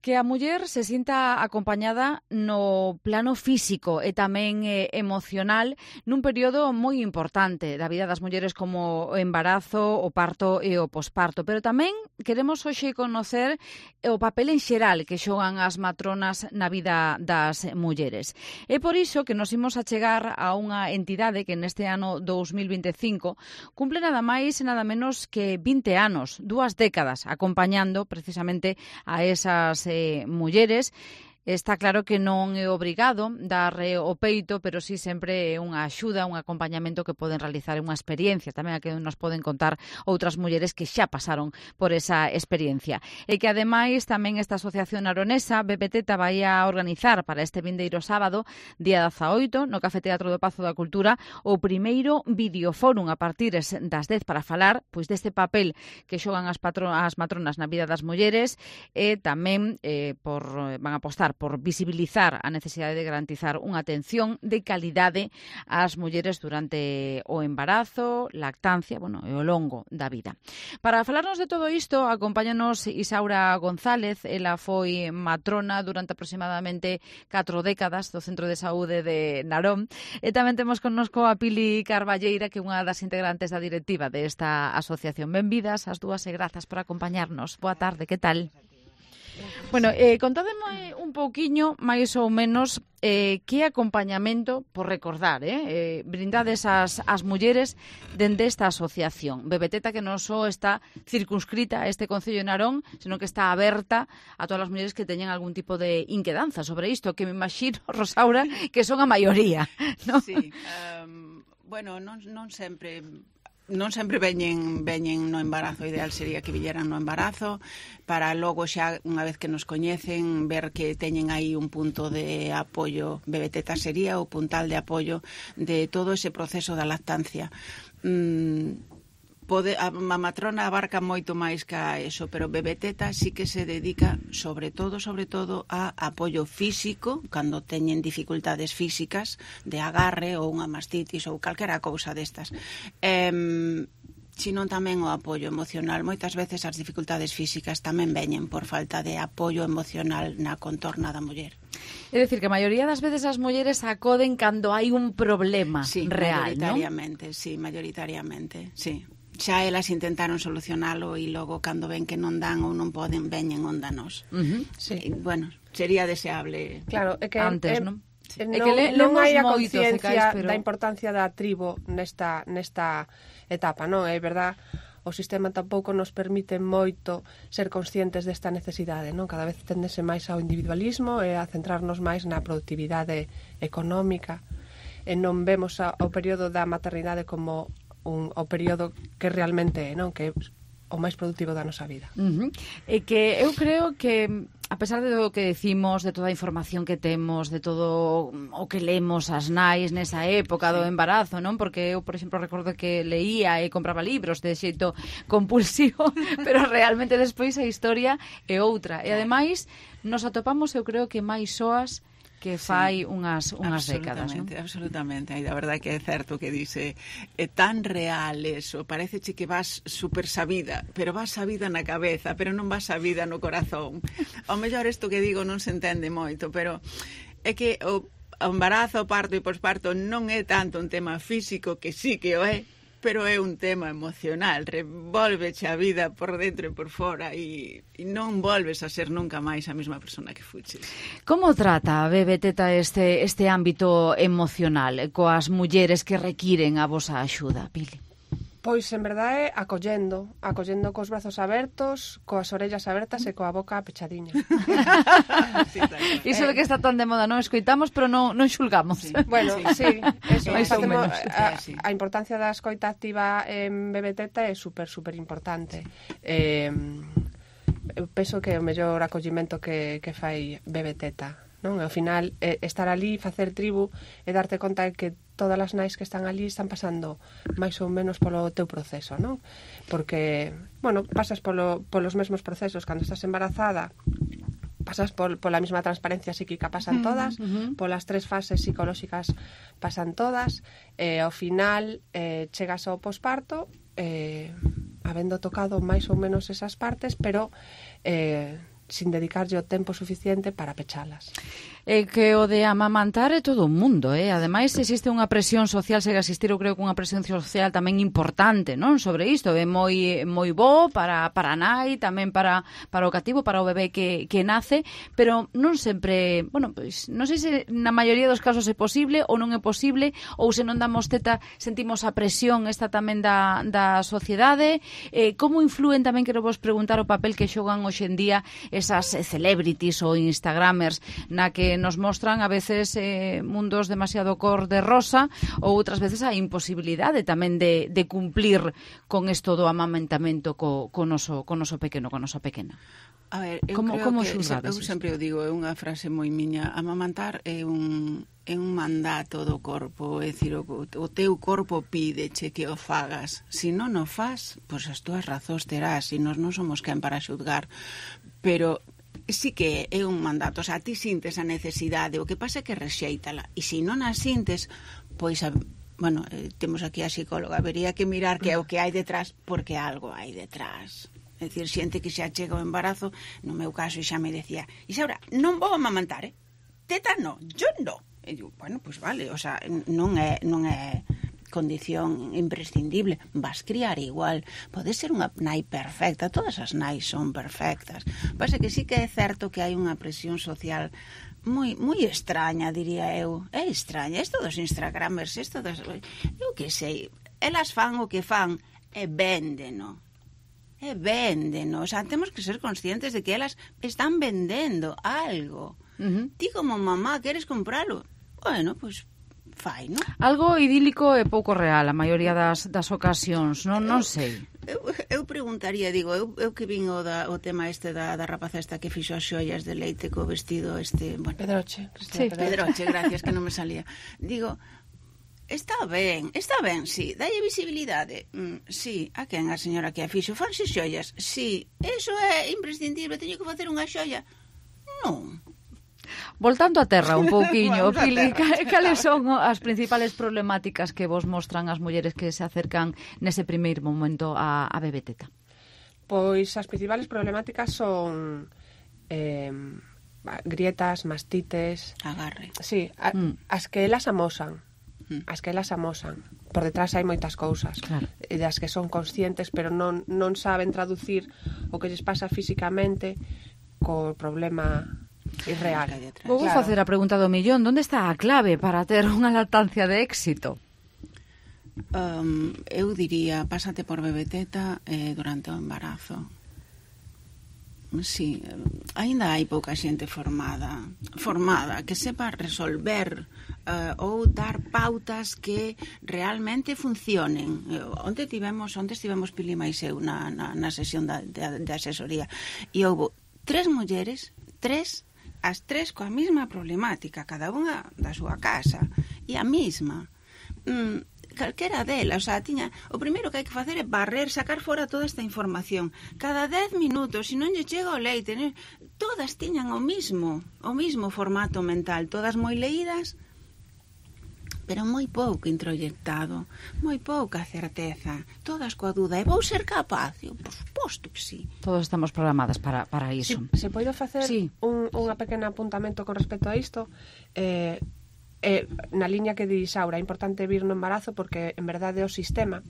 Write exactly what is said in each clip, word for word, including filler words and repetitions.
Que a muller se sinta acompañada no plano físico e tamén eh, emocional nun período moi importante da vida das mulleres como o embarazo, o parto e o posparto. Pero tamén queremos hoxe conocer o papel en xeral que xogan as matronas na vida das mulleres. É por iso que nos imos a chegar a unha entidade que neste ano dous mil vinte e cinco cumple nada máis e nada menos que vinte anos, dúas décadas, acompañando precisamente a esas Eh, mulleres. Está claro que non é obrigado dar eh, o peito, pero sí sempre é unha axuda, un acompañamento que poden realizar, unha experiencia tamén a que nos poden contar outras mulleres que xa pasaron por esa experiencia. E que ademais tamén esta asociación aronesa, Bebeteta, vai a organizar para este vindeiro sábado, día dezaoito, no Café Teatro do Pazo da Cultura, o primeiro videofórum a partir das dez para falar pois deste papel que xogan as, patro, as matronas na vida das mulleres e tamén eh, por, van a apostar por visibilizar a necesidade de garantizar unha atención de calidade ás mulleres durante o embarazo, lactancia, bueno, e o longo da vida. Para falarnos de todo isto, acompáñanos Isaura González. Ela foi matrona durante aproximadamente catro décadas do Centro de Saúde de Narón. E tamén temos connosco a Pili Carballeira, que é unha das integrantes da directiva desta asociación. Benvidas as dúas e grazas por acompañarnos. Boa tarde, que tal? Bueno, eh, contádeme un pouquiño, máis ou menos, eh, que acompañamento, por recordar, eh, eh, brindades as, as mulleres dende esta asociación. Bebeteta, que non só está circunscrita a este Concello de Narón, senón que está aberta a todas as mulleres que teñen algún tipo de inquedanza sobre isto, que me imagino, Rosaura, que son a maioría, ¿no? Sí, um, bueno, non, non sempre... Non sempre veñen, veñen no embarazo, o ideal sería que villeran no embarazo, para logo xa, unha vez que nos coñecen, ver que teñen aí un punto de apoio. Bebeteta sería o puntal de apoio de todo ese proceso da lactancia. Mm, pode, a, a matrona abarca moito máis que a eso, pero Bebeteta sí que se dedica sobre todo, sobre todo a apoio físico, cando teñen dificultades físicas de agarre ou unha mastitis ou calquera cousa destas. Eh, sino tamén o apoio emocional. Moitas veces as dificultades físicas tamén veñen por falta de apoio emocional na contorna da muller. É dicir, que a maioría das veces as mulleres acoden cando hai un problema sí, real, non? mayoritariamente, sí, mayoritariamente, sí. Xa elas intentaron solucionalo e logo cando ven que non dan ou non poden, veñen onda nos. Uh-huh. Sí. E, bueno, sería deseable claro, é que antes, é, non? Sí. É Non, que le, non hai a moito, conciencia pero... da importancia da tribo nesta, nesta etapa, non? É verdad, o sistema tampouco nos permite moito ser conscientes desta necesidade, non? Cada vez tendese máis ao individualismo e a centrarnos máis na productividade económica e non vemos a, o período da maternidade como un, o período que realmente é, non? Que é o máis productivo da nosa vida. Uh-huh. E que eu creo que a pesar de todo o que decimos, de toda a información que temos, de todo o que lemos as nais nesa época do embarazo, non? Porque eu, por exemplo, recordo que leía e compraba libros de xeito compulsivo, pero realmente despois a historia é outra. E ademais nos atopamos, eu creo que máis soas que fai sí, unhas, unhas décadas, non? Absolutamente, aí da verdade que é certo que dice é tan real eso, parece que vas super sabida, pero vas sabida na cabeza, pero non vas sabida no corazón. Ao mellor isto que digo non se entende moito, pero é que o, o embarazo, o parto e posparto non é tanto un tema físico, que sí que o é, pero é un tema emocional, revolveche a vida por dentro e por fora e, e non volves a ser nunca máis a mesma persona que fuches. Como trata a Bebeteta este, este ámbito emocional coas mulleres que requiren a vosa axuda, Pili? Pois, en verdade, acollendo, acollendo cos brazos abertos, coas orellas abertas e coa boca pechadiña. Sí, iso de que está tan de moda, non escoitamos, pero non, non xulgamos. Sí. Bueno, sí, eso, sí, facemos, a, a importancia da escoita activa en Bebeteta é super, super importante. Eh, eu penso que é o mellor acollimento que, que fai Bebeteta, non? Ao final, eh, estar ali, facer tribu e darte conta de que todas as nais que están ali están pasando máis ou menos polo teu proceso, non? Porque, bueno, pasas polo, polos mesmos procesos cando estás embarazada, pasas por, pola mesma transparencia psíquica, pasan todas, uh-huh. polas tres fases psicolóxicas pasan todas, e ao final eh, chegas ao posparto, eh, habendo tocado máis ou menos esas partes, pero eh, sin dedicarlle o tempo suficiente para pechalas. É que o de amamantar é todo o mundo, eh? Ademais, existe unha presión social, segue a existir, eu creo que unha presión social tamén importante, non? Sobre isto, é moi moi bo para, para a nai, tamén para, para o cativo, para o bebé que, que nace, pero non sempre, bueno, pois, non sei se na maioría dos casos é posible ou non é posible, ou se non damos teta sentimos a presión esta tamén da, da sociedade. Eh, como influen tamén, quero vos preguntar, o papel que xogan hoxe en día esas celebrities ou instagramers na que nos mostran a veces eh, mundos demasiado cor de rosa ou outras veces a imposibilidade tamén de, de cumplir con isto do amamantamento co, co, noso, co noso pequeno, co nosa pequena. A ver, eu como, creo como que xulgades eu sempre o digo, é unha frase moi miña, amamantar é un, é un mandato do corpo, é dicir, o, o teu corpo pídeche que o fagas, se non o faz, pois as túas razóns terás, e nós non somos quen para xulgar, pero sí que é un mandato, o sea, ti sintes a necesidade, o que pasa é que rexeítala, e se non a sintes, pois, a, bueno, eh, temos aquí a psicóloga, habería que mirar que é o que hai detrás, porque algo hai detrás. É dicir, xente que xa chega ao embarazo, no meu caso xa me decía, Isaura, non vou amamantar, eh? Teta non, yo non. E digo, bueno, pois pues vale, o sea, non é, non é condición imprescindible, vas criar igual, pode ser unha nai perfecta, todas as nais son perfectas, pasa que sí que é certo que hai unha presión social moi moi extraña, diría eu, é extraña, isto dos instagramers, isto dos, eu que sei, elas fan o que fan e véndeno, e véndeno, o sea, temos que ser conscientes de que elas están vendendo algo. Uh-huh. Ti como mamá queres compralo, bueno, pois pues, fai, non? Algo idílico e pouco real a maioría das, das ocasións, non, non sei. Eu, eu preguntaría, digo, eu, eu que vin o, da, o tema este da, da rapaza esta que fixo as xoias de leite co vestido este... Bueno, Pedroche. Sí, Pedroche, gracias, que non me salía. Digo, está ben, está ben, sí, dalle visibilidade, mm, sí, a quen a señora que a fixo, fanse xoias, sí, eso é imprescindible, teño que facer unha xoia, non. Voltando a terra un pouquiño, Pili, cales son as principales problemáticas que vos mostran as mulleres que se acercan nese primeiro momento a, a bebé teta? Pois as principales problemáticas son eh, grietas, mastites... Agarre. Sí, a, mm. as que elas amosan, mm. as que elas amosan. Por detrás hai moitas cousas, claro, das que son conscientes, pero non, non saben traducir o que lles pasa físicamente co problema... É real. Vou claro. facer a pregunta do millón. Onde está a clave para ter unha lactancia de éxito? Um, eu diría, pásate por bebé teta eh, durante o embarazo. Sí, aínda hai pouca xente formada formada que sepa resolver uh, ou dar pautas que realmente funcionen. Onde tivemos, onde estivemos Pili máis eu na, na, na sesión da, de, de asesoría, e houve tres mulleres, tres as tres coa mesma problemática, cada unha da súa casa, e a mesma. Mm, calquera delas, o sea, tiña, o primeiro que hai que facer é barrer, sacar fora toda esta información. Cada dez minutos, se non lle chega o leite, ne, todas tiñan o mismo, o mismo formato mental, todas moi leídas, pero moi pouco introyectado, moi pouca certeza, todas coa duda, e vou ser capaz? Eu, por suposto que sí. Todos estamos programadas para, para iso. Si, se podo facer sí. un, unha pequena apuntamento con respecto a isto, eh, eh, na liña que di Isaura, é importante vir no embarazo porque en verdade é o sistema,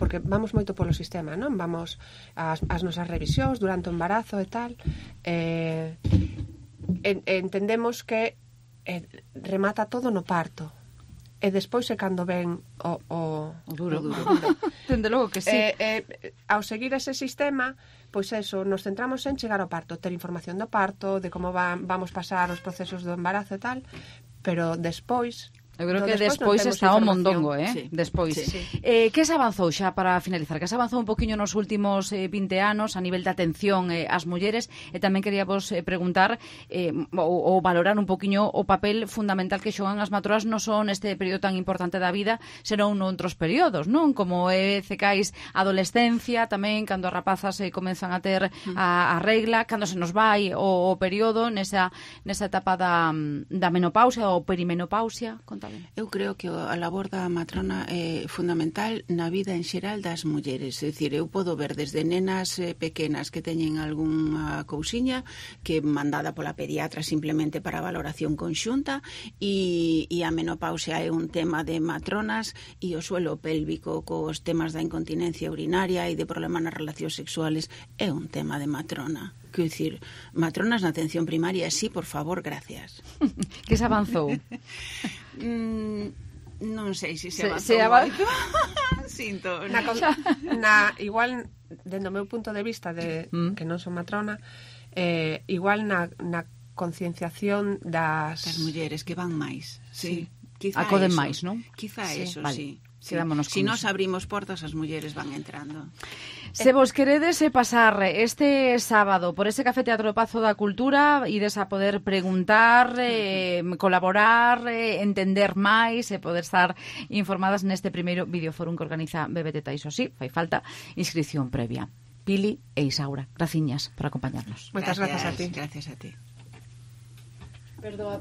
porque vamos moito polo sistema, non? Vamos ás, ás nosas revisións durante o embarazo e tal, eh, en, entendemos que eh, remata todo no parto, e despois é cando ven o, o, o duro. O duro. Dende logo que sí. Eh, eh, ao seguir ese sistema, pois eso, nos centramos en chegar ao parto, ter información do parto, de como va, vamos pasar os procesos do embarazo e tal, pero despois... Eu creo que despois, despois está o mondongo, eh? Sí. Despois. Sí, sí. Eh, que se avanzou xa para finalizar? Que se avanzou un poquinho nos últimos eh, vinte anos a nivel de atención eh, ás mulleres, e tamén queríamos eh, preguntar eh, ou, ou valorar un poquinho o papel fundamental que xogan as matroas non só neste período tan importante da vida, senón noutros períodos, non? Como é cecais adolescencia, tamén cando as rapazas eh, comenzan a ter a, a regla, cando se nos vai o, o período nesa, nesa etapa da, da menopausia ou perimenopausia. Conta contade. Eu creo que a labor da matrona é fundamental na vida en xeral das mulleres. É dicir, eu podo ver desde nenas eh, pequenas que teñen algunha cousiña que mandada pola pediatra simplemente para valoración conxunta e, e a menopausia é un tema de matronas e o suelo pélvico cos temas da incontinencia urinaria e de problemas nas relacións sexuales é un tema de matrona. Quero dicir, matronas na atención primaria, sí, por favor, gracias. Que se avanzou? mm, non sei se se, se, se avanzou. Sinto. Na, na, igual, dentro do meu punto de vista, de mm. que non son matrona, eh, igual na, na concienciación das... Das mulleres que van máis, sí. sí. Acoden máis, non? Quizá sí. eso, vale. sí. Sí. Si nos abrimos portas, as mulleres van entrando. Se vos queredes pasar este sábado por ese Café Teatro Pazo da Cultura, ides a poder preguntar, eh, colaborar, eh, entender máis e poder estar informadas neste primeiro videoforum que organiza Bebeteta. Iso sí, fai falta inscripción previa. Pili e Isaura, graciñas por acompañarnos. Moitas gracias a ti. Gracias a ti. Perdoa.